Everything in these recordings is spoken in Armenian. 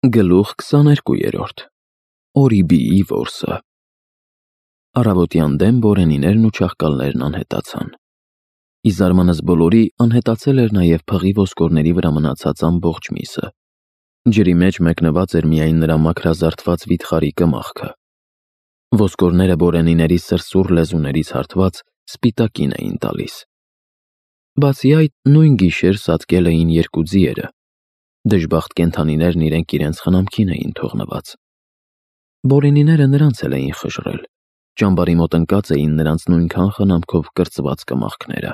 Գլուխ 22 Օրիբիի որսը Առավոտյան դեմ բորենիներն ու չաղկալներն անհետացան։ Ի զարմանս բոլորի անհետացել էր նաև փղի ոսկորների վրա մնացած ամբողջ միսը։ Ջրի մեջ մեկնված էր միայն նրա մաքրազարդված վիթխարի կմախքը։ Ոսկորները բորենիների սրսուռ լեզուներից հարթված սպիտակին էին տալիս։ Բացի այդ, նույն գիշեր սատկել էին երկու ձիերը։ Դժբախտ կենդանիներն իրենց խնամքին էին թողնված։ Բորենիները նրանց էլ էին խժռել, ճամբարի մոտ ընկած էին նրանց նույնքան խնամքով կրծված կմախքները։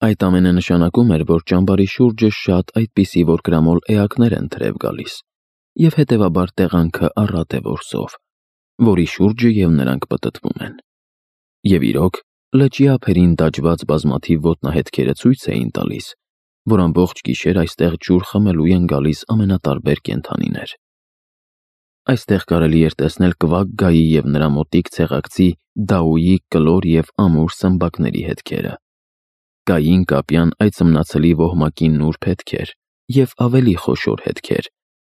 Այդ ամենը նշանակում էր, որ ճամբարի շուրջը շատ այդպիսի որկրամոլ էակներ են թրև գալիս, և հետևաբար տեղանքը առատ է որսով, որի շուրջը և նրանք պտտվում են։ Եվ իրոք, լճի ափերին դաջված բազմաթիվ ոտնահետքերը ցույց էին տալիս, որ ամբողջ գիշեր այստեղ ջուր խմելու են գալիս ամենատարբեր կենդանիներ։ Այստեղ կարելի էր տեսնել կվակ-գայի և նրա մոտիկ ցեղակցի դաուի կլոր և ամուր սմբակների հետքերը, գային կապյան այծմնացլի ոհմակի նուրբ հետքեր և ավելի խոշոր հետքեր,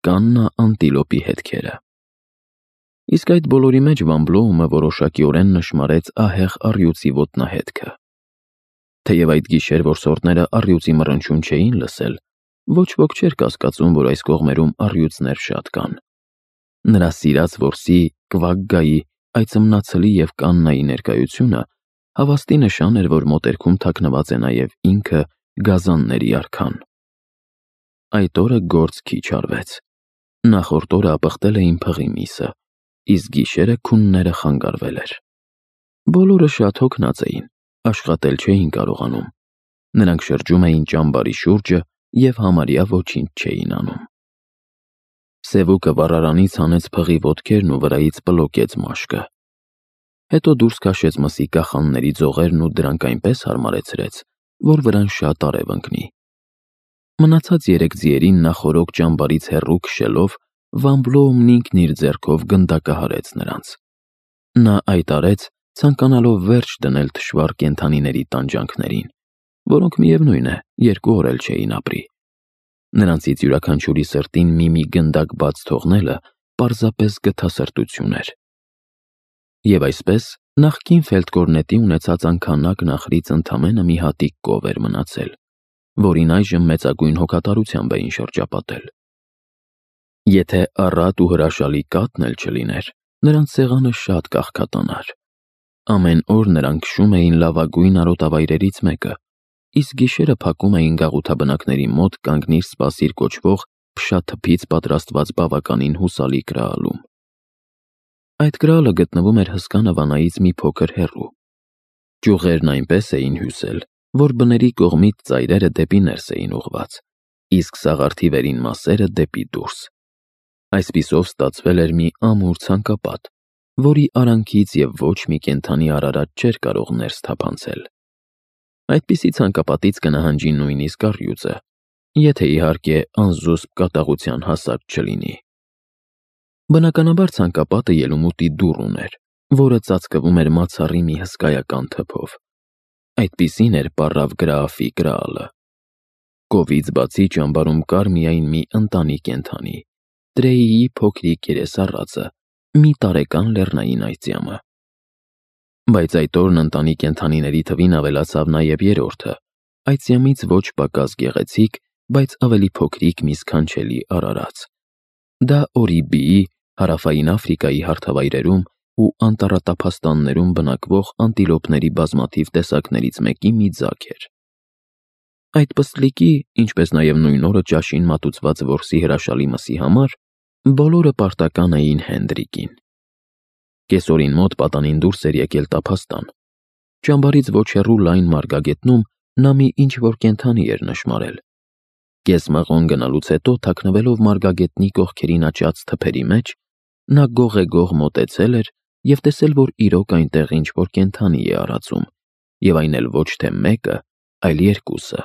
կաննա անտիլոպի հետքերը։ Իսկ այդ բոլորի մեջ Վան Բլոումը որոշակիորեն նշմարեց ահեղ առյուծի ոտնահետքը։ Թեև այդ գիշեր որսորդները առյուծի մռնչյուն չէին լսել, ոչ ոք չէր կասկածում, որ այս կողմերում առյուծներ շատ կան։ Նրա սիրած որսի, կվակ-գայի, այծմնացլի և կաննայի ներկայությունը հավաստի նշան էր, որ մոտերքում թաքնված է նաև ինքը գազանների արքան։ Այդ օրը գործ քիչ արվեց։ Նախորդ օրը ապխտել էին փղի միսը, իսկ գիշերը քունները խանգարվել էր։ Բոլորը շատ հոգնած էին, աշխատել չէին կարողանում։ Նրանք շրջում էին ճամբարի շուրջը և համարյա ոչինչ չէին անում։ Սևուկը վառարանից հանեց փղի ոտքերն ու վրայից պլոկեց մաշկը։ Հետո դուրս քաշեց մսի կախանների ձողերն ու դրանք այնպես հարմարեցրեց, որ վրան շատ արև ընկնի։ Մնացած 3 ձիերին նախօրոք ճամբարից հեռու քշելով, Վան Բլոումն ինքն իր ձեռքով գնդակահարեց նրանց։ Նա այդ արեց, ցանկանալով վերջ դնել թշվառ կենդանիների տանջանքներին, որոնք միևնույն է, 2 օր էլ չէին ապրի։ Նրանցից յուրաքանչյուրի սրտին մի գնդակ բաց թողնելը պարզապես գթասրտություն էր։ Եվ այսպես, նախկին ֆելդկորնետի ունեցած անքանակ նախրից ընդամենը մի հատիկ կով էր մնացել, որին այժմ մեծագույն հոգատարությամբ էին շրջապատել։ Եթե առատ ու հրաշալի կաթն էլ չլիներ, նրանց սեղանը շատ կաղքատանար։ Ամեն օր նրանք քշում էին լավագույն արոտավայրերից մեկը, իսկ գիշերը փակում էին գաղութաբնակների մոտ կանգնիր սպասիր կոչվող փշաթփից պատրաստված բավականին հուսալի կրալում։ Այդ կրալը գտնվում էր հսկա նվանայից մի փոքր հեռու։ Ճյուղերն այնպես էին հյուսել, որ բների կողմից ծայրերը դեպի ներս էին ուղղված, իսկ սաղարթի վերին մասերը դեպի դուրս։ Այսպիսով ստացվել էր մի ամուր ցանկապատ, որի արանքից և ոչ մի կենդանի արարած չէր կարող ներս թափանցել։ Այդպիսի ցանկապատից կնահանջի նույնիսկ առյուծը, եթե իհարկե անզուսպ կատաղության հասած չլինի։ Բնականաբար ցանկապատը ելումուտի դուռ ուներ, որը ծածկվում էր մացառի մի հսկայական թփով։ Այդպիսին էր պառավ Գրաաֆի կրալը։ Կովից բացի ճամբարում կար միայն մի ընտանի կենդանի՝ Տրեիի փոքրիկ երեսառածը, մի տարեկան լեռնային այծյամը։ Բայց այդ օրն ընտանի կենդանիների թվին ավելացավ նաև երրորդը, այծյամից ոչ պակաս գեղեցիկ, բայց ավելի փոքրիկ մի սքանչելի արարած։ Դա Օրիբիի, Հարավային Աֆրիկայի հարթավայրերում ու անտառատափաստաններում բնակվող անտիլոպների բազմաթիվ տեսակներից մեկի մի ձագ էր։ Այդ պստլիկի, ինչպես նաև նույն օրը ճաշին մատուցված որսի հրաշալի մսի համար, բոլորը պարտական էին Հենդրիկին։ Կեսօրին մոտ պատանին դուրս էր եկել տափաստան։ Ճամբարից ոչ հեռու լայն մարգագետնում նա մի ինչ-որ կենդանի էր նշմարել։ Կես մղոն գնալուց հետո, թաքնվելով մարգագետնի կողքերին աճած թփերի մեջ, նա գողեգող մոտեցել էր և տեսել, որ իրոք այնտեղ ինչ-որ կենդանի է արածում, և այն էլ ոչ թե մեկը, այլ երկուսը։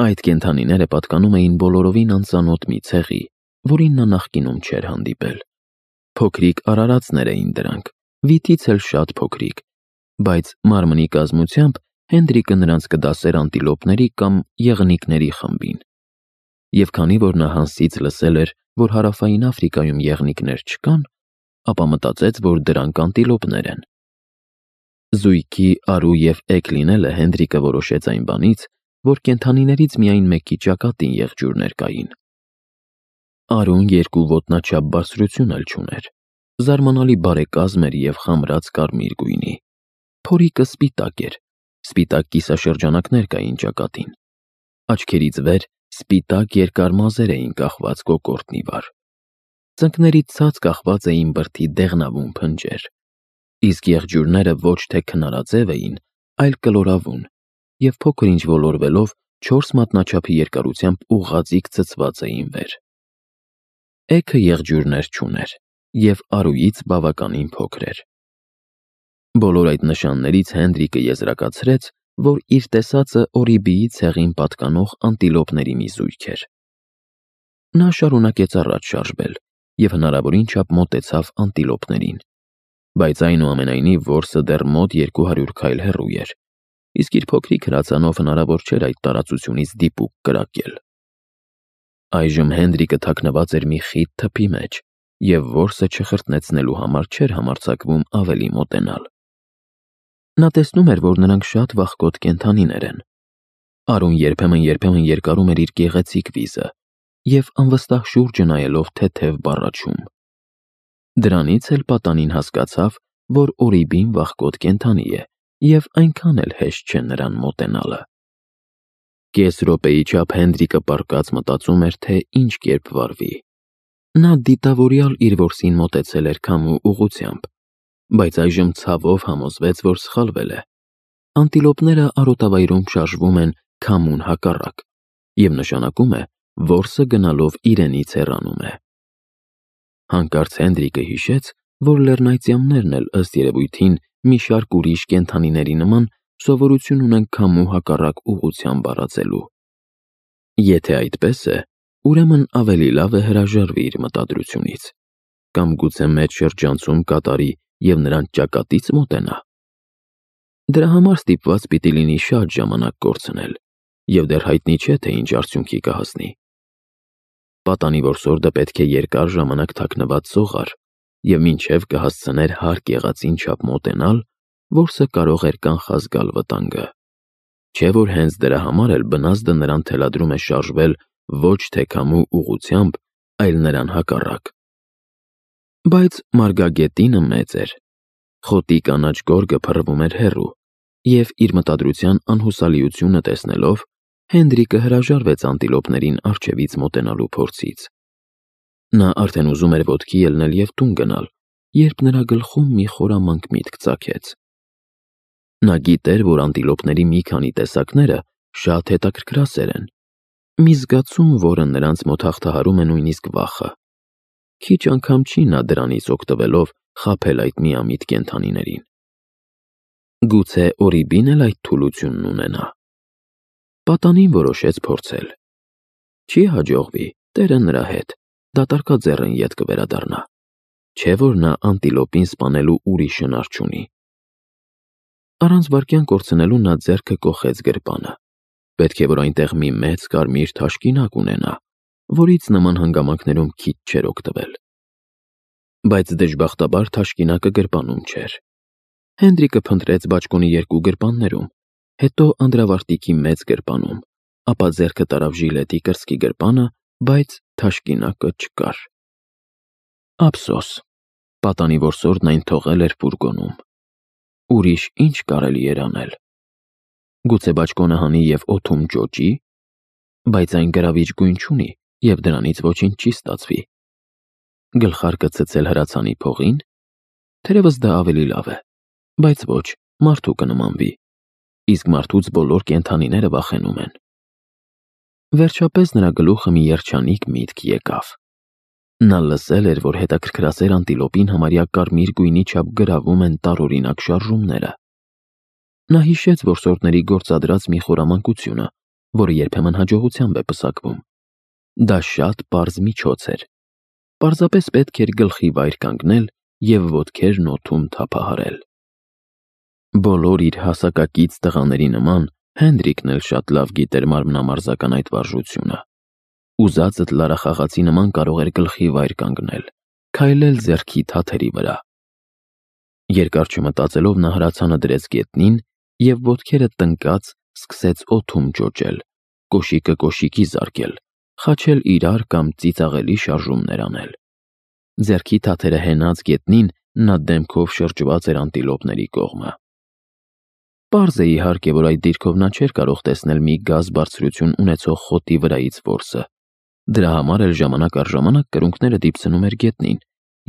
Այդ կենդանիները պատկանում էին բոլորովին անծանոթ մի ցեղի, որին նա նախկինում չէր հանդիպել։ Փոքրիկ արարածներ էին դրանք, վիթից էլ շատ փոքրիկ, բայց մարմնի կազմությամբ Հենդրիկը նրանց կդասեր անտիլոպների կամ եղնիկների խմբին։ Եվ քանի որ նա Հանսից լսել էր, որ հարավային Աֆրիկայում եղնիկներ չկան, ապա մտածեց, որ դրանք անտիլոպներ են։ Զույգի արու և էգ լինելը Հենրիկը որոշեց այն բանից, որ կենդանիներից միայն մեկի ճակատին եղջյուրներ կային։ Արուն 2 ոտնաչափ բարձրություն էլ չուներ, զարմանալի բարեկազմ էր և խամրած կարմիր գույնի։ Փորիկը սպիտակ էր, սպիտակ կիսաշրջանակներ կային ճակատին։ Աչքերից վեր սպիտակ երկար մազեր էին կախված կոկորդն ի վար։ Ծնկներից ցած կախված էին բրդի դեղնավուն փնջեր, իսկ եղջյուրները ոչ թե քնարաձև էին, այլ կլորավուն, և փոքր-ինչ ոլորվելով 4 մատնաչափի երկարությամբ ուղղաձիգ ցցված էին վեր։ Էգը եղջյուրներ չուներ և արուից բավականին փոքր էր։ Բոլոր այդ նշաններից Հենրիկը եզրակացրեց, որ իր տեսածը Օրիբիի ցեղին պատկանող անտիլոպների մի զույգ էր։ Նա շարունակեց առաջ շարժվել և հնարավորին չափ մոտեցավ անտիլոպներին, բայց այնուամենայնիվ որսը դեռ մոտ 200 քայլ հեռու էր, իսկ իր փոքրիկ հրացանով հնարավոր չէր այդ տարածությունից դիպուկ կրակել։ Այժմ Հենրիկը թաքնված էր մի խիտ թփի մեջ և որսը չխրտնեցնելու համար չէր համարձակվում ավելի մոտենալ։ Նա տեսնում էր, որ նրանք շատ վախկոտ կենդանիներ են։ Արուն երբեմն երկարում էր իր գեղեցիկ վիզը և անվստահ շուրջը նայելով թեթև բառաչում։ Դրանից էլ պատանին հասկացավ, որ Օրիբին վախկոտ կենդանի է և այնքան էլ հեշտ չէ նրան մոտենալը։ Կես րոպեի չափ Հենրիկը պառկած մտածում էր, թե ինչ կերպ վարվի։ Նա դիտավորյալ իր որսին մոտեցել էր քամու ուղղությամբ, բայց այժմ ցավով համոզվեց, որ սխալվել է։ Անտիլոպները արոտավայրում շարժվում են քամուն հակառակ, և նշանակում է, որսը գնալով իրենից հեռանում է։ Հանկարծ Հենրիկը հիշեց, որ լեռնայծյամներն էլ ըստ երևույթին մի շարք ուրիշ կենդանիների նման սովորություն ունեն քամու հակառակ ուղղությամբ վարածելու։ Եթե այդպես է, ուրեմն ավելի լավ է հրաժարվի իր մտադրությունից, կամ գուցե մեծ շրջանցում կատարի և նրան ճակատից մոտենա։ Դրա համար ստիպված պիտի լինի շատ ժամանակ կորցնել, և դեռ հայտնի չէ, թե ինչ արդյունքի կհասնի։ Պատանի որսորդը պետք է երկար ժամանակ թաքնված սողար, և մինչև կհասցներ հարկ եղածին չափ մոտենալ, որսը կարող էր կանխազգալ վտանգը։ Չէ որ հենց դրա համար էլ բնազդը նրան թելադրում է շարժվել ոչ թե քամու ուղղությամբ, այլ նրան հակառակ։ Բայց մարգագետինը մեծ էր, խոտի կանաչ գորգը փռվում էր հեռու, և իր մտադրության անհուսալիությունը տեսնելով, Հենրիկը հրաժարվեց անտիլոպներին առջևից մոտենալու փորձից։ Նա արդեն ուզում էր ոտքի ելնել և տուն գնալ, երբ նրա գլխում մի խորամանկ միտք ծագեց։ Նա գիտեր, որ անտիլոպների մի քանի տեսակները շատ հետաքրքրասեր են, մի զգացում, որը նրանց մոտ հաղթահարում է նույնիսկ վախը։ Քիչ անգամ չի նա դրանից օգտվելով խաբել այդ միամիտ կենդանիներին։ Գուցե Օրիբին էլ այդ թուլությունն ունենա։ Պատանին որոշեց փորձել։ Չի հաջողվի, տերը նրա հետ, դատարկաձեռն ետ կվերադառնա։ Չէ որ նա անտիլոպին սպանելու ուրիշ հնար չունի։ Առանց վայրկյան կորցնելու նա ձեռքը կոխեց գրպանը։ Պետք է որ այնտեղ մի մեծ կարմիր թաշկինակ ունենա, որից նման հանգամանքներում քիչ չէր օգտվել։ Բայց դժբախտաբար թաշկինակը գրպանում չէր։ Հենրիկը փնտրեց բաճկոնի 2 գրպաններում, հետո անդրավարտիքի մեծ գրպանում, ապա ձեռքը տարավ ժիլետի կրծքի գրպանը, բայց թաշկինակը չկար։ Ափսոս, պատանի որսորդն այն թողել էր ֆուրգոնում։ Ուրիշ ինչ կարելի էր անել։ Գուցե բաճկոնը հանի և օդում ջոջի, բայց այն գրավիչ գույն չունի և դրանից ոչինչ չի ստացվի։ Գլխարկը ցցել հրացանի փողին, թերևս դա ավելի լավ է, բայց ոչ, մարդու կնմանվի, իսկ մարդուց բոլոր կենդանիները վախենում են։ Վերջապես նրա գլուխը մի երջանիկ միտք եկավ։ Նա լսել էր, որ հետաքրքրասեր անտիլոպին համարյա կարմիր գույնի չափ գրավում են տարօրինակ շարժումները։ Նա հիշեց որսորդների գործադրած մի խորամանկությունը, որը երբեմն հաջողությամբ է պսակվում։ Դա շատ պարզ միջոց էր։ Պարզապես պետք էր գլխի վայր կանգնել և ոտքերն օդում թափահարել։ Բոլոր իր հասակակից տղաների նման Հենրիկն էլ շատ լավ գիտեր մարմնամարզական այդ վարժությունը։ Ուզածդ լարախաղացի նման կարող էր գլխի վայր կանգնել, քայլել ձեռքի թաթերի վրա։ Երկար չմտածելով նա հրացանը դրեց գետնին և ոտքերը տնկած սկսեց օդում ջոջել, կոշիկը կոշիկի զարկել, խաչել իրար կամ ծիծաղելի շարժումներ անել։ Ձեռքի թաթերը հենած գետնին նա դեմքով շրջված էր անտիլոպների կողմը։ Պարզ է իհարկե, որ այդ դիրքով նա չէր կարող տեսնել մի գազ բարձրություն ունեցող խոտի վրայից որսը։ Դրա համար էլ ժամանակ առ ժամանակ կրունկները դիպցնում էր գետնին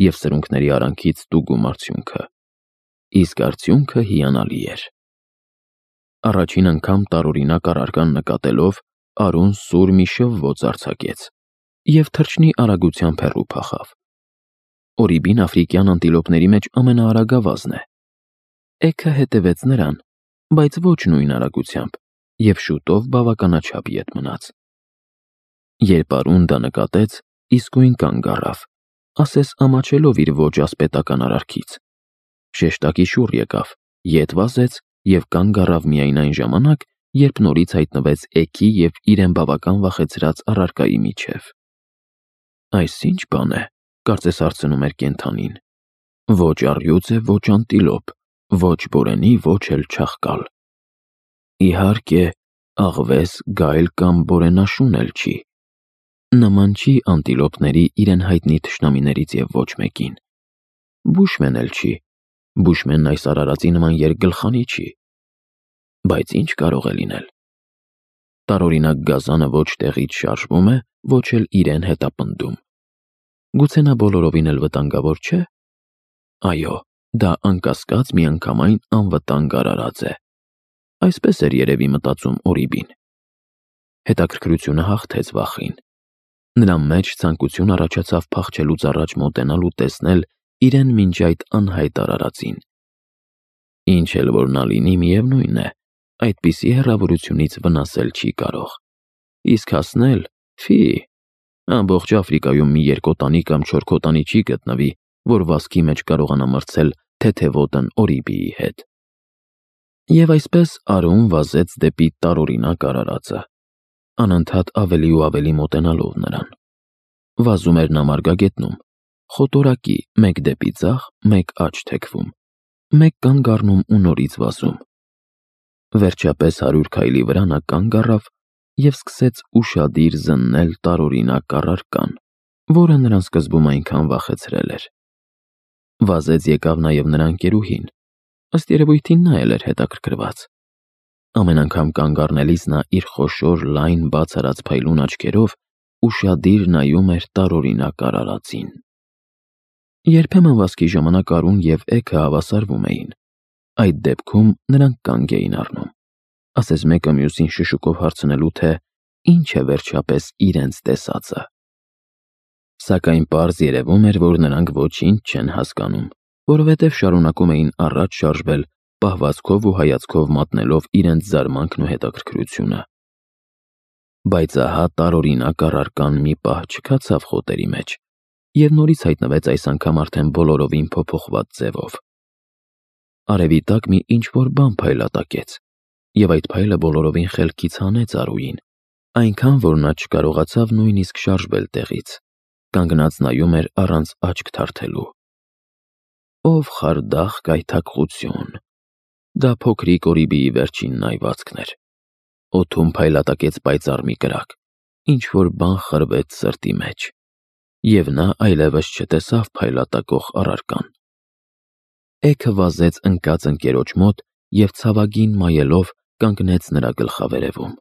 և սրունքների արանքից ստուգում արդյունքը։ Իսկ արդյունքը հիանալի էր։ Առաջին անգամ տարօրինակ առարկան նկատելով Արուն սուր մի շվվոց արձակեց և թռչնի արագությամբ հեռու փախավ։ Օրիբին աֆրիկյան անտիլոպների մեջ ամենաարագավազն է։ Էգը հետևեց նրան, բայց ոչ նույն արագությամբ, և շուտով բավականաչափ ետ մնաց։ Երբ Արուն դա նկատեց, իսկույն կանգ առավ, ասես ամաչելով իր ոչ ասպետական արարքից։ Շեշտակի շուռ եկավ, ետ վազեց և կանգ առավ միայն այն ժամանակ, երբ նորից հայտնվեց էգի և իրեն բավական վախեցրած առարկայի միջև։ Այս ի՞նչ բան է, կարծես հարցնում էր կենդանին։ Ոչ առյուծ է, ոչ անտիլոպ, ոչ բորենի, ոչ էլ չաղկալ։ Իհարկե, աղվես, գայլ կամ բորենաշուն էլ չի։ Նման չի անտիլոպների իրեն հայտնի թշնամիներից և ոչ մեկին։ Բուշմեն էլ չի։ Բուշմենն այս արարածի նման երկգլխանի չի։ Բայց ինչ կարող է լինել։ Տարօրինակ գազանը ոչ տեղից շարժվում է, ոչ էլ իրեն հետապնդում։ Գուցե նա բոլորովին էլ վտանգավոր չէ։ Այո, դա անկասկած միանգամայն անվտանգ արարած է։ Այսպես էր երևի մտածում Օրիբին։ Հետաքրքրությունը հաղթեց վախին։ Նրա մեջ ցանկություն առաջացավ փախչելուց առաջ մոտենալ ու տեսնել իրեն մինչ այդ անհայտ արարածին։ Ինչ էլ որ նա լինի, միևնույն է, այդպիսի հեռավորությունից վնասել չի կարող։ Իսկ հասնել, ֆի, ամբողջ Աֆրիկայում մի երկոտանի կամ չորքոտանի չի գտնվի, որ վազքի մեջ կարողանա մրցել թեթևոտն Օրիբիի հետ։ Եվ այսպես Արուն վազեց դեպի տարօրինակ արարածը, անընդհատ ավելի ու ավելի մոտենալով նրան։ Վազում էր նա մարգագետնում, խոտորակի, մեկ դեպի ձախ, մեկ աջ թեքվում, մեկ կանգ առնում ու նորից վազում։ Վերջապես 100 քայլի վրա նա կանգ առավ և սկսեց ուշադիր զննել տարօրինակ առարկան, որը նրան սկզբում այնքան վախեցրել էր։ Վազեց եկավ նաև նրա ընկերուհին, ըստ երևույթին նա էլ էր հետաքրքրված։ Ամեն անգամ կանգ առնելիս նա իր խոշոր, լայն, բաց արած փայլուն աչքերով ուշադիր նայում էր տարօրինակ արարածին։ Երբեմն վազքի ժամանակ Արուն և էգը հավասարվում էին։ Այդ դեպքում նրանք կանգ էին առնում, ասես մեկը մյուսին շշուկով հարցնելու, թե ինչ է վերջապես իրենց տեսածը։ Սակայն պարզ երևում էր, որ նրանք ոչինչ չեն հասկանում, որովհետև շարունակում էին առաջ շարժվել, պահվածքով ու հայացքով մատնելով իրենց զարմանքն ու հետաքրքրությունը։ Բայց ահա տարօրինակ առարկան մի պահ չքացավ խոտերի մեջ և նորից հայտնվեց այս անգամ արդեն բոլորովին փոփոխված ձևով։ Արևի տակ մի ինչ-որ բան փայլատակեց, և այդ փայլը բոլորովին խելքից հանեց Արուին, այնքան, որ նա չկարողացավ նույնիսկ շարժվել տեղից, կանգնած նայում էր առանց աչք թարթելու։ Ով խարդախ կայթակղություն։ Դա փոքրիկ Օրիբիի վերջին նայվածքն էր։ Օդում փայլատակեց պայծառ մի կրակ, ինչ-որ բան խրվեց սրտի մեջ, և նա այլևս չտեսավ փայլատակող առարկան։ Էգը վազեց ընկած ընկերոջ մոտ և ցավագին մայելով կանգնեց նրա գլխավերևում։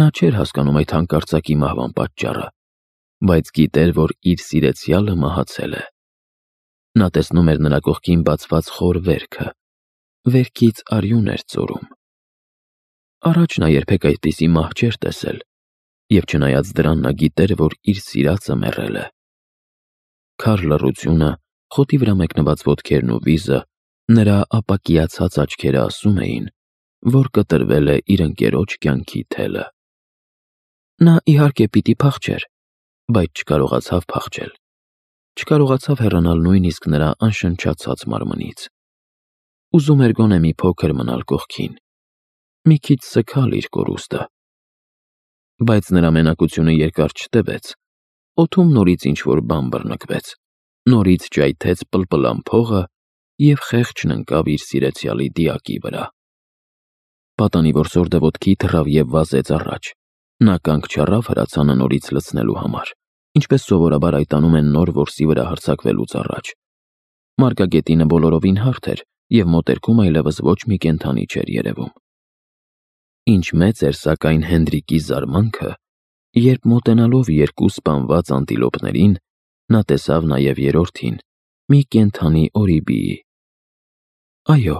Նա չէր հասկանում այդ հանկարծակի մահվան պատճառը, բայց գիտեր, որ իր սիրեցյալը մահացել է։ Նա տեսնում էր նրա կողքին բացված խոր վերքը, վերքից արյուն էր ծորում։ Առաջ նա երբեք այդպիսի մահ չէր տեսել, և չնայած դրան նա գիտեր, որ իր սիրածը մեռել է։ Քար լռությունը, խոտի վրա մեկնված ոտքերն ու վիզը, նրա ապակիացած աչքերը ասում էին, որ կտրվել է իր ընկերոջ կյանքի թելը։ Նա իհարկե պիտի փախչեր, բայց չկարողացավ փախչել։ Չկարողացավ հեռանալ նույնիսկ նրա անշնչացած մարմնից։ Ուզում էր գոնե մի փոքր մնալ կողքին, մի քիչ սգալ իր կորուստը։ Բայց նրա մենակությունը երկար չտևեց, օդում նորից ինչ-որ բան բռնկվեց, նորից ճայթեց պլպլան փողը և խեղճն ընկավ իր սիրեցյալի դիակի վրա։ Պատանի որսորդը ոտքի թռավ և վազեց առաջ, նա կանգ չառավ հրացանը նորից լցնելու համար, ինչպես սովորաբար այդ անում են նոր որսի վրա հարձակվելուց առաջ։ Մարգագետինը բոլորովին հարթ էր և մոտերքում այլևս ոչ մի կենդանի չէր երևում։ Ինչ մեծ էր սակայն Հենդրիկի զարմանքը, երբ մոտենալով երկու սպանված անտիլոպներին, նա տեսավ նաև երրորդին՝ մի կենդանի օրիբիի։ Այո,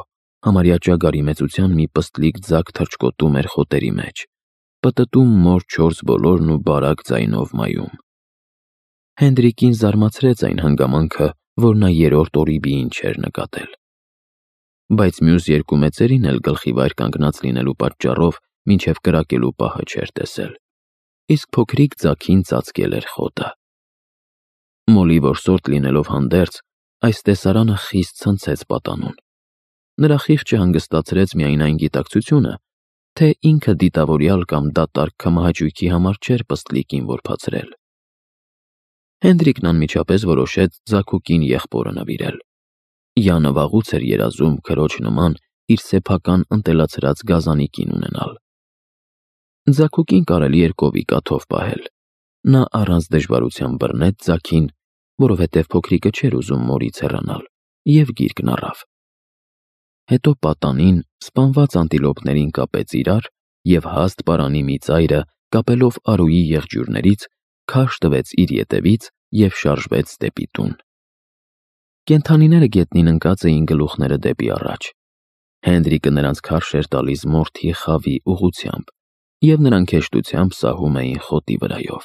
համարյա ճագարի մեծության մի պստլիկ ձագ թռչկոտում էր խոտերի մեջ, պտտում մոր չորս բոլորն ու բարակ ձայնով մայում։ Հենդրիկին զարմացրեց այն հանգամանքը, որ նա երրորդ օրիբիին չէր նկատել։ Բայց մյուս երկու մեծերին էլ գլխի վայր կանգնած լինելու պատճառով մինչև կրակելու պահը չէր տեսել, իսկ փոքրիկ ձագին ծածկել էր խոտը։ Մոլի որսորդ լինելով հանդերձ, այս տեսարանը խիստ ցնցեց պատանուն։ Նրա խիղճը հանգստացրեց միայն այն գիտակցությունը, թե ինքը դիտավորյալ կամ դատարկ քմահաճույքի համար չէր պստլիկին որբացրել։ Հենդրիկն անմիջապես որոշեց ձագուկին եղբորը նվիրել։ Յանը վաղուց էր երազում քրոջ նման իր սեփական ընտելացրած գազանիկին ունենալ։ Ձագուկին կարելի էր կովի կաթով պահել։ Նա առանց դժվարության բռնեց ձագին, որովհետև փոքրիկը չէր ուզում մորից հեռանալ, և գիրկն առավ։ Հետո պատանին սպանված անտիլոպներին կապեց իրար և հաստ պարանի մի ծայրը, կապելով Արուի եղջյուրներից, քարշ տվեց իր ետևից և շարժվեց դեպի տուն։ Կենդանիները գետնին ընկած էին գլուխները դեպի առաջ։ Հենդրիկը նրանց քարշ էր տալիս մորթի խավի ուղղությամբ, և նրանք հեշտությամբ սահում էին խոտի վրայով։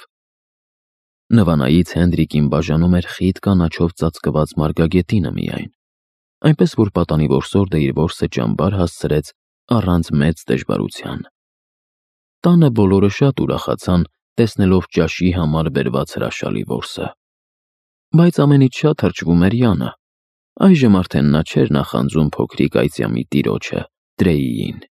Նվանայից Հենդրիկին բաժանում էր խիտ կանաչով ծածկված մարգագետինը միայն, այնպես որ պատանի որսորդը իր որսը ճամբար հասցրեց առանց մեծ դժվարության։ Տանը բոլորը շատ ուրախացան, տեսնելով ճաշի համար բերված հրաշալի որսը։ Բայց ամենից շատ թրջվում էր Յանը։ Այժմ արդեն նա չէր նախանձում փոքրիկ այծյամի տիրոջը՝ Տրեյին։